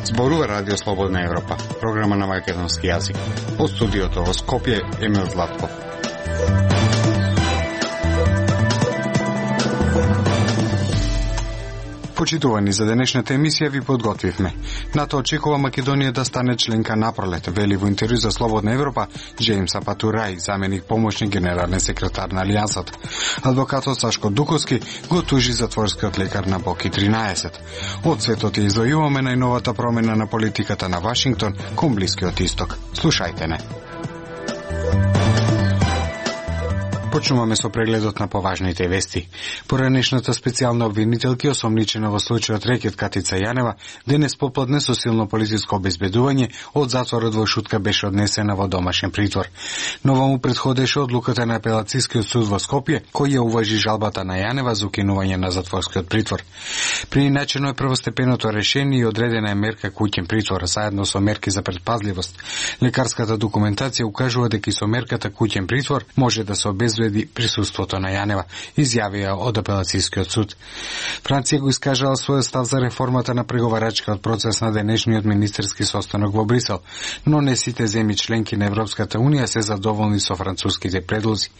Зборува Радио Слободна Европа, програма на македонски јазик. Од студиото во Скопје, Емил Златков. Почитувани, за денешната емисија ви подготвивме. НАТО очекува Македонија да стане членка напролет, вели во интервју за Слободна Европа Джеймс Апатурај, заменик помошник генерален секретар на Алијансата. Адвокатот Сашко Дуковски го тужи затворскиот лекар на Боки 13. Од светот ја извојуваме најновата промена на политиката на Вашингтон кон Блискиот Исток. Слушајте не. Почнуваме со прегледот на поважните вести. Поранешната специјална обвинителка осомничена во случајот рекет Катица Јанева денес попладне со силно полициско обезбедување од затворот во Шутка беше однесена во домашен притвор. Нова му претходеше одлуката на апелацијскиот суд во Скопје, кој ја уважи жалбата на Јанева за укинување на затворскиот притвор. Прииначено е првостепеното решение и одредена е мерка куќен притвор, заедно со мерки за предпазливост. Лекарската документација укажува дека и со мерката куќен притвор може да се обезбеди присуството на Јанева, изјавија од апелацијскиот суд. Франција го искажала својот став за реформата на преговарачкиот процес на денешниот министерски состанок во Брисел, но не сите земји членки на Европската унија се задоволни со француските предлози,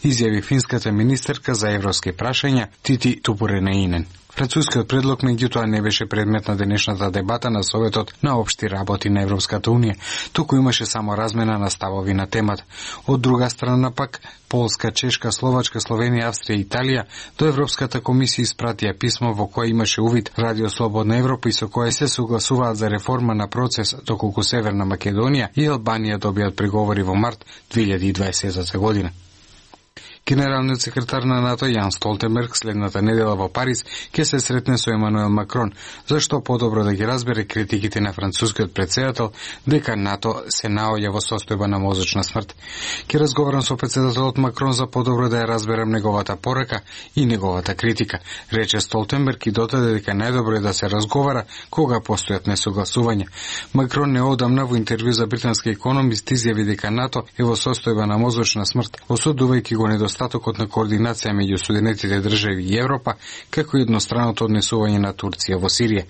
изјави финската министерка за европски прашања Тити Тупуренеинен. Францускиот предлог меѓутоа не беше предмет на денешната дебата на Советот на општи работи на Европската унија, туку имаше само размена на ставови на темата. Од друга страна пак, Полска, Чешка, Словачка, Словенија, Австрија и Италија до Европската комисија испратија писмо во кое имаше увид Радио Слободна Европа и со кое се согласуваат за реформа на процес, доколку Северна Македонија и Албанија добијат преговори во март 2020 година. Генералниот секретар на НАТО Јан Столтенберг следната недела во Париз ќе се сретне со Емануел Макрон, зашто подобро да ги разбере критиките на францускиот претседател дека НАТО се наоѓа во состојба на мозочна смрт. Ќе разговарам со претседателот Макрон за подобро да ја разберам неговата порака и неговата критика, рече Столтенберг и додаде дека најдобро е да се разговара кога постојат несогласувања. Макрон неодамна во интервју за британски економист изјави дека НАТО е во состојба на мозочна смрт, осудувајќи го недостатокот на координација меѓу Соединетите држави и Европа, како и едностранното однесување на Турција во Сирија.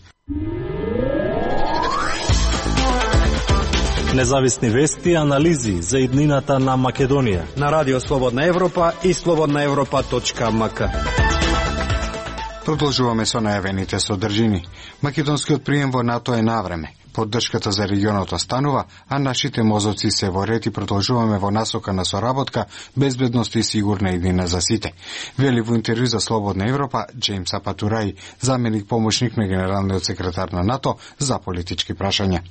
Независни вести и анализи за иднината на Македонија на Радио Слободна Европа и slobodnaevropa.mk. Продолжуваме со најавените содржини. Македонскиот прием во НАТО е навреме. Поддршката за регионот останува, а нашите мозоци се во ред и продолжуваме во насока на соработка, безбедност и сигурна иднина за сите. Вели во интервју за Слободна Европа Джеймс Апатурај, заменик помошник на генералниот секретар на НАТО за политички прашања.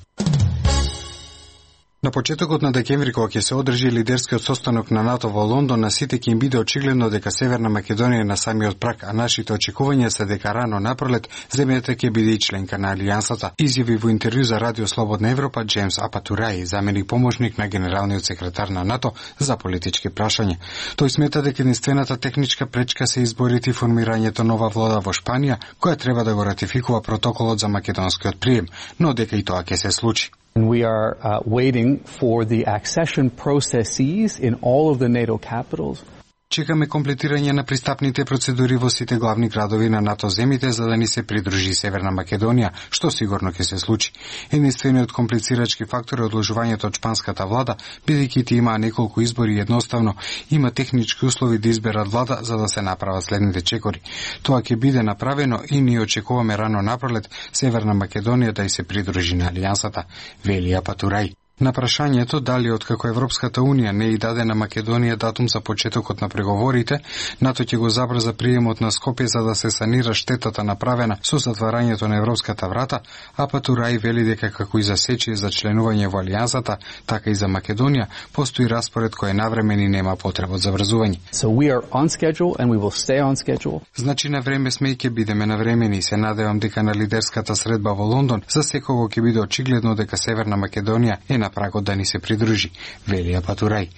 На почетокот на декември, кога ќе се одржи лидерскиот состанок на НАТО во Лондон, на сите ќе им биде очигледно дека Северна Македонија е на самиот праг, а нашите очекувања се дека рано напролет земјата ќе биде и членка на Алијансата, изјави во интервју за Радио Слободна Европа Джеймс Апатурај, заменик помошник на генералниот секретар на НАТО за политички прашања. Тој смета дека единствената техничка пречка се изборите и формирањето нова влада во Шпанија, која треба да го ратификува протоколот за македонскиот прием, но дека и тоа ќе се случи. We are waiting for the accession processes in all of the NATO capitals. Чекаме комплетирање на пристапните процедури во сите главни градови на НАТО земите за да ни се придружи Северна Македонија, што сигурно ќе се случи. Единствениот комплицирачки фактор е одложувањето од шпанската влада, бидејќи ти има неколку избори и едноставно има технички услови да изберат влада за да се направат следните чекори. Тоа ќе биде направено и ние очекуваме рано напролет Северна Македонија да и се придружи на Алијансата, вели Апатурај. На прашањето дали откако Европската унија не и даде на Македонија датум за почетокот на преговорите, НАТО ќе го забрза приемот на Скопје за да се санира штетата направена со затварањето на европската врата, Апатурај вели дека како и за Сечи за членување во Алијансата, така и за Македонија постои распоред кој е навремен и нема потреба од забрзување. So we are on schedule and we will stay on schedule. Значи на време сме и ќе бидеме навремени и се надевам дека на лидерската средба во Лондон за секого ќе биде очигледно дека Северна Македонија е на на прагот да ни се придружи, вели Апатурај.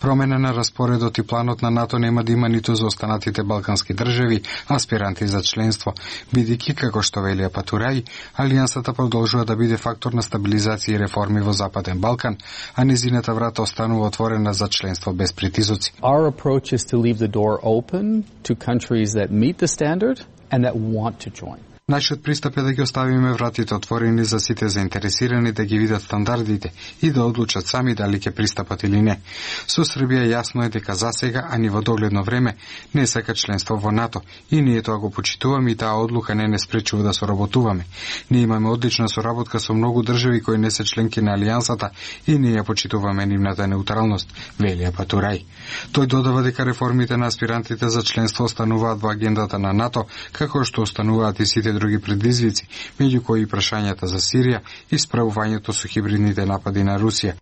Промена на распоредот и планот на НАТО нема да има ниту за останатите балкански држави, аспиранти за членство, бидејќи, како што вели Апатурај, Алијансата продолжува да биде фактор на стабилизација и реформи во Западен Балкан, а незината врата останува отворена за членство без притисоци. Our approach is to leave the door open to countries that meet the standard and that want to join. Нашиот пристап е да ги оставиме вратите отворени за сите заинтересирани да ги видат стандардите и да одлучат сами дали ќе пристапат или не. Со Србија јасно е дека засега, а ни во догледно време, не сака членство во НАТО и ние тоа го почитуваме и таа одлука не спречува да соработуваме. Ние имаме одлична соработка со многу држави кои не се членки на Алијансата и ние ја почитуваме нивната неутралност, вели Апатурај. Тој додава дека реформите на аспирантите за членство остануваат во агендата на НАТО, како што остануваат и сите други предизвици, меѓу кои и прашањата за Сирија и справувањето со хибридните напади на Русија.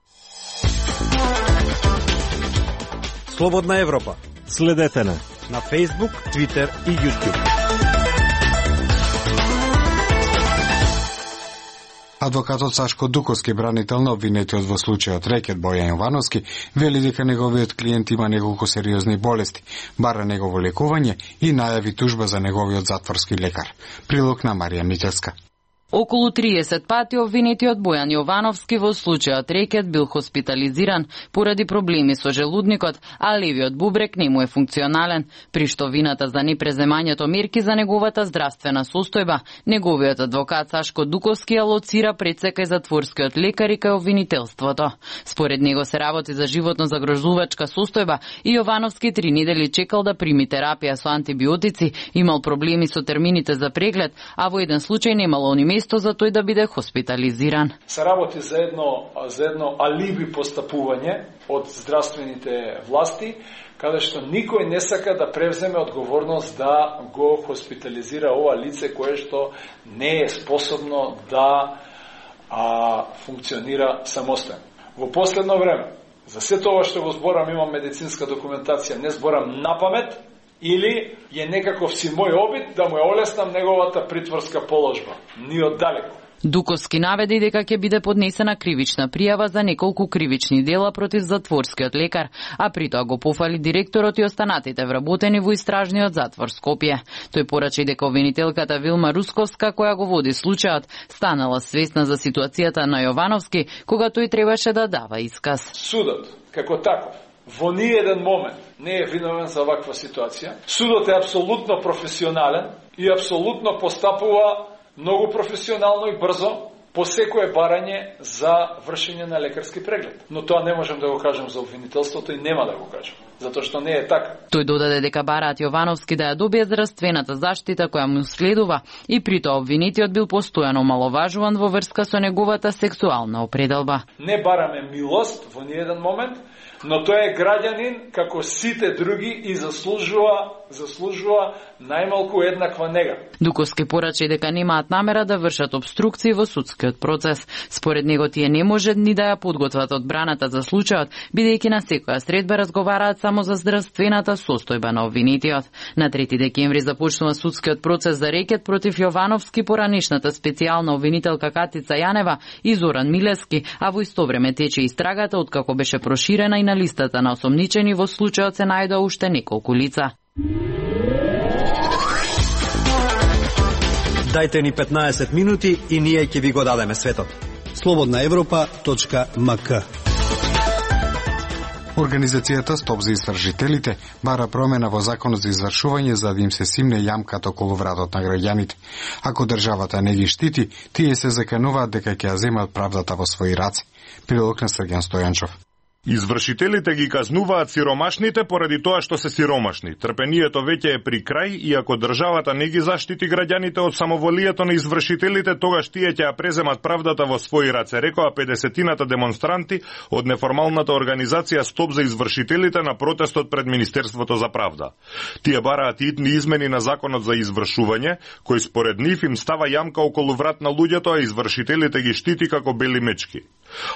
Слободна Европа. Следете на Facebook, Twitter и YouTube. Адвокатот Сашко Дуковски, бранител на обвинетиот во случајот рекет Бојан Јовановски, вели дека неговиот клиент има неколку сериозни болести, бара негово лекување и најави тужба за неговиот затворски лекар. Прилог на Марија Митевска. Околу 30 пати обвинетиот Бојан Јовановски во случајот рекет бил хоспитализиран поради проблеми со желудникот, а левиот бубрек не му е функционален, при што вината за непреземањето мерки за неговата здравствена состојба, неговиот адвокат Сашко Дуковски ја лоцира пресека и затворскиот лекар и кај обвинителството. Според него се работи за животно загрозувачка состојба и Јовановски 3 недели чекал да прими терапија со антибиотици, имал проблеми со термините за преглед, а во еден случај немало ни место за тој да биде хоспитализиран. Се работи за едно алиби постапување од здравствените власти, каде што никој не сака да превземе одговорност да го хоспитализира ова лице кое што не е способно да функционира самостојно. Во последно време, за сето ова што го зборам, имам медицинска документација, не зборам напамет, или е некаков си мој обид да му ја олеснам неговата притворска положба. Ни оддалеку. Дуковски наведе дека ќе биде поднесена кривична пријава за неколку кривични дела против затворскиот лекар, а при тоа го пофали директорот и останатите вработени во истражниот затвор Скопје. Тој порача дека обвинителката Вилма Русковска, која го води случајот, станала свесна за ситуацијата на Јовановски, кога тој требаше да дава исказ. Судот, како таков, во ниеден момент не е виновен за ваква ситуација. Судот е апсолутно професионален и апсолутно постапува многу професионално и брзо по секое барање за вршење на лекарски преглед. Но тоа не можем да го кажем за обвинителството и нема да го кажем, затоа што не е така. Тој додаде дека бараат Јовановски да ја добие здравствената заштита која му следува и при тоа обвинетиот бил постојано маловажуван во врска со неговата сексуална определба. Не бараме милост во ниеден момент, но тој е граѓанин како сите други и заслужува најмалку еднаква нега. Дуковски порача дека немаат намера да вршат обструкции во судскиот процес. Според него тие не може ни да ја подготват одбраната за случајот, бидејќи на секоја средба разговараат само за здравствената состојба на обвинетиот. На 3 декември започнува судскиот процес за рекет против Јовановски, поранешната специјална обвинителка Катица Јанева и Зоран Милевски, а во исто време тече истрагата откако беше проширена и на листата на осомничени во случајот се најдоа уште неколку лица. Дајте ни 15 минути и ние ќе ви го дадеме светот. slobodnaevropa.mk. Организацијата Стоп за истражителите бара промена во законот за извршување за да им се симне јамката околу вратот на граѓаните. Ако државата не ги штити, тие се закануваат дека ќе ја земат правдата во своји раце. Прилог на Сргјан Стојанчов. Извршителите ги казнуваат сиромашните поради тоа што се сиромашни. Трпението веќе е при крај и ако државата не ги заштити граѓаните од самоволието на извршителите, тогаш тие ќе ја преземат правдата во своји раце, рекоа 50-тината демонстранти од неформалната организација Стоп за извршителите на протестот пред Министерството за правда. Тие бараат итни измени на законот за извршување, кој според нив им става јамка околу врат на луѓето, а извршителите ги штити како бели мечки.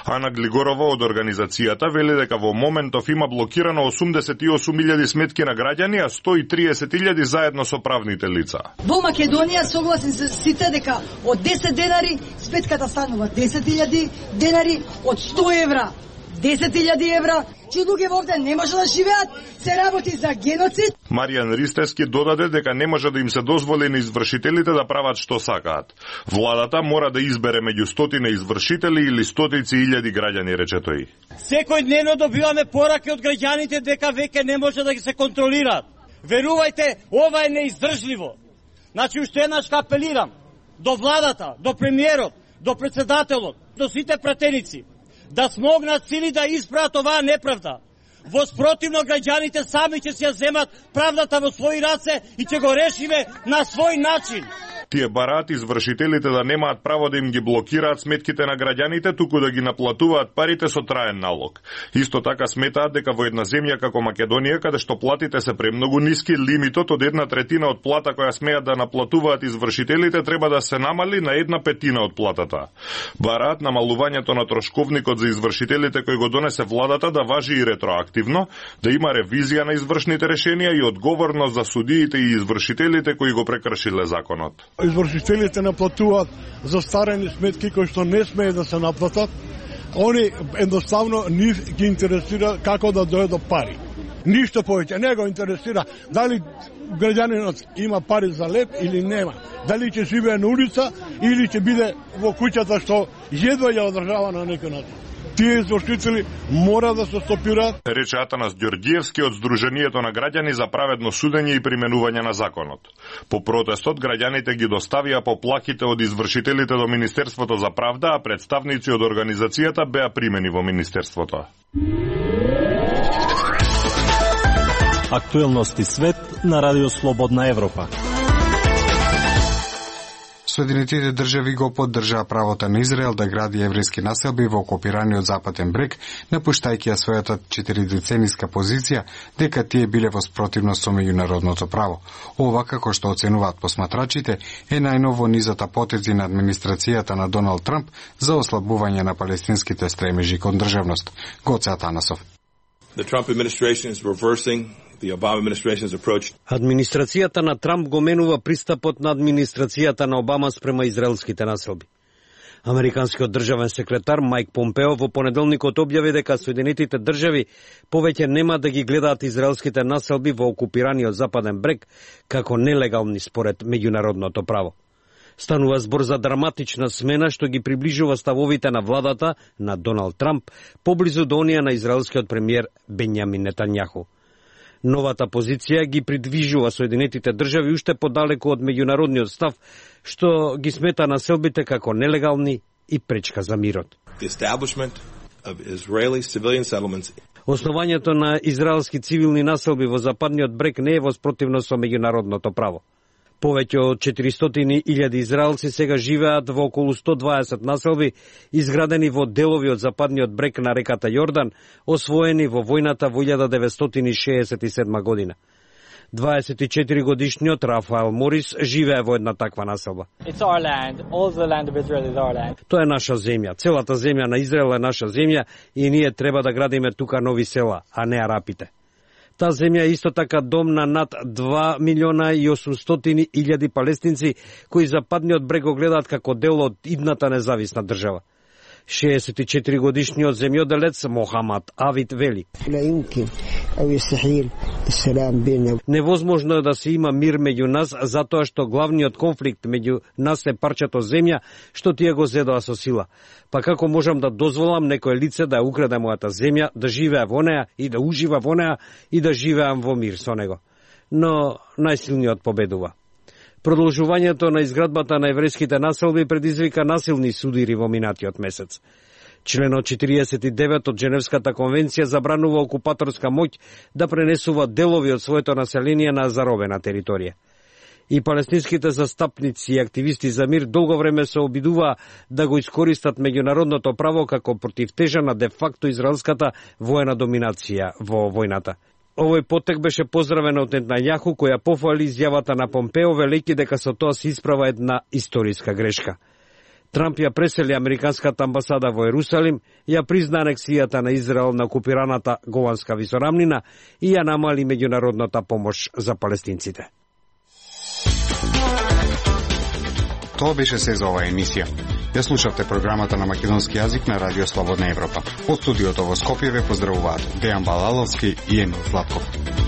Ана Глигорова од организацијата вели дека во моментов има блокирано 88.000 сметки на граѓани, а 130.000 заедно со правните лица. Во Македонија согласен се сите дека од 10 денари сметката станува 10.000 денари, од 100 евра 10.000 евра, че луѓе овде не може да живеат, се работи за геноцид. Маријан Ристевски додаде дека не може да им се дозволи на извршителите да прават што сакаат. Владата мора да избере меѓу стотина извршители или стотици илјади граѓани, рече тој. Секојдневно добиваме пораки од граѓаните дека веќе не може да ги се контролираат. Верувајте, ова е неиздржливо. Значи, уште еднаш апелирам до владата, до премиерот, до председателот, до сите пратеници, да смогнат сили да исправат оваа неправда. Во спротивно граѓаните сами ќе се земат правдата во своји раце и ќе го решиме на свој начин. Тие бараат извршителите да немаат право да им ги блокираат сметките на граѓаните, туку да ги наплатуваат парите со траен налог. Исто така сметаат дека во една земја како Македонија, каде што платите се премногу ниски, лимитот од 1/3 од плата која смеат да наплатуваат извршителите треба да се намали на 1/5 од платата. Бараат намалувањето на трошковникот за извршителите кој го донесе владата да важи и ретроактивно, да има ревизија на извршните решенија и одговорност за судиите и извршителите кои го прекршиле законот. Извршителите наплатуваат застарени сметки кои што не смее да се наплатат. Они едноставно нив ги интересира како да дојде до пари. Ништо повеќе не го интересира дали граѓанинот има пари за леп или нема. Дали ќе живее на улица или ќе биде во куќата што едва ја одржава на некој начин. Тие извршители мора да се стопираат. Рече Атанас Ѓорѓиевски од Сдруженијето на граѓани за праведно судење и применување на законот. По протестот граѓаните ги доставија поплахите од извршителите до Министерството за правда, а представници од организацијата беа примени во Министерството. Актуелности свет на Радио Слободна Европа. Соединетите држави го поддржаа правото на Израел да гради еврејски населби во окупираниот Западен брег, напуштајќи ја својата 4-децениска позиција дека тие биле во спротивност со меѓународното право. Ова, како што оценуваат посматрачите, е најново низата потези на администрацијата на Доналд Трамп за ослабување на палестинските стремежи кон државност. Гоце Атанасов. The Trump administration is reversing the Obama administration's approach. Администрацијата на Трамп го менува пристапот на администрацијата на Обама спрема израелските населби. Американскиот државен секретар Мајк Помпео во понеделникот објави дека Соединетите држави повеќе нема да ги гледаат израелските населби во окупираниот Западен брег како нелегални според меѓународното право. Станува збор за драматична смена што ги приближува ставовите на владата на Доналд Трамп поблизу до оние на израелскиот премиер Бенјамин Нетањаху. Новата позиција ги придвижува Соединетите држави уште подалеку од меѓународниот став што ги смета населбите како нелегални и пречка за мирот. Основањето на израелски цивилни населби во Западниот брег не е во спротивност со меѓународното право. Повеќе од 400.000 израелци сега живеат во околу 120 населби, изградени во делови од Западниот брег на реката Јордан, освоени во војната во 1967 година. 24 годишниот Рафаел Морис живее во една таква населба. Тоа е наша земја. Целата земја на Израел е наша земја и ние треба да градиме тука нови села, а не арапите. Таа земја е исто така дом на над 2.800.000 палестинци кои Западниот брег го гледаат како дел од идната независна држава. 64 годишниот земјоделец Мохамад Авид вели: невозможно е да се има мир меѓу нас затоа што главниот конфликт меѓу нас е парчето земја што тие го зедоа со сила. Па како можам да дозволам некое лице да ја украде мојата земја, да живее во неа и да ужива во неа и да живеам во мир со него? Но најсилниот победува. Продолжувањето на изградбата на еврејските населби предизвика насилни судири во минатиот месец. Членот 49 од Женевската конвенција забранува окупаторска моќ да пренесува делови од своето население на заробена територија. И палестинските застапници и активисти за мир долго време се обидуваа да го искористат меѓународното право како противтежа на де-факто израелската воена доминација во војната. Овој потек беше поздравен од Нетањаху, која пофали изјавата на Помпео, велејќи дека со тоа се исправа една историска грешка. Трамп ја пресели американската амбасада во Ерусалим, ја призна анексијата на Израел на окупираната Голанска висорамнина и ја намали меѓународната помош за палестинците. Тоа беше се за оваа емисија. Ја слушавте програмата на македонски јазик на Радио Слободна Европа. Од студиото во Скопје ве поздравуваат Дејан Балаловски и Емил Златков.